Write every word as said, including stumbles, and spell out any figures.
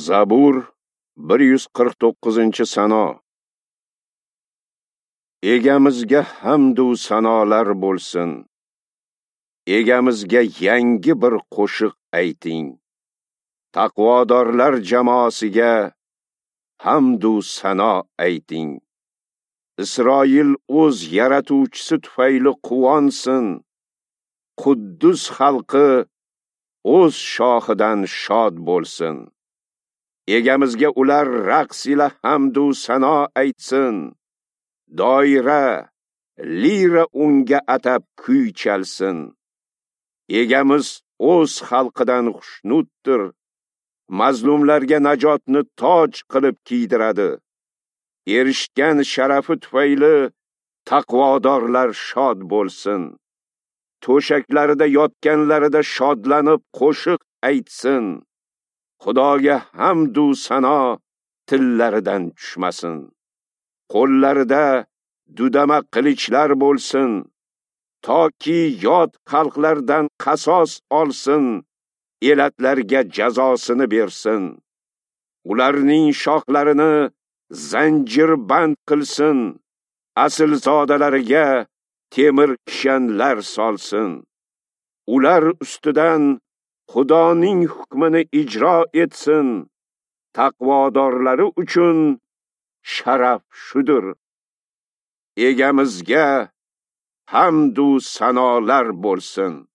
Zabur bir yuz qirq to'qqizinchi sano. Egamizga hamd u sanolar bo'lsin. Egamizga yangi bir qo'shiq ayting. Taqvodorlar jamoasiga hamd u sano ayting. Isroil o'z yaratuvchisi tufayli quvonsin. Quddus xalqi o'z shohidan shod bo'lsin. Egamizga ular raqs ila hamd u sano aytsin. Doira, lira unga atab kuy chalsin. Egamiz o'z xalqidan xushnuddir. Mazlumlarga najotni toj qilib kiydiradi. Erishgan sharafi tufayli taqvodorlar shod bo'lsin. To'shaklarida yotganlarida shodlanib qo'shiq aytsin. Xudoga hamd u sano tillaridan tushmasin. Qo'llarida dudama qilichlar bo'lsin, toki yot xalqlardan qasos olsin, elatlarga jazosini bersin. Ularning shoxlarini zanjirband qilsin, aslzodalariga temir kishanlar solsin. Ular ustidan Xudoning hukmini ijro etsin. Taqvodorlari uchun sharaf shudur. Egamizga hamd u sanolar bo'lsin.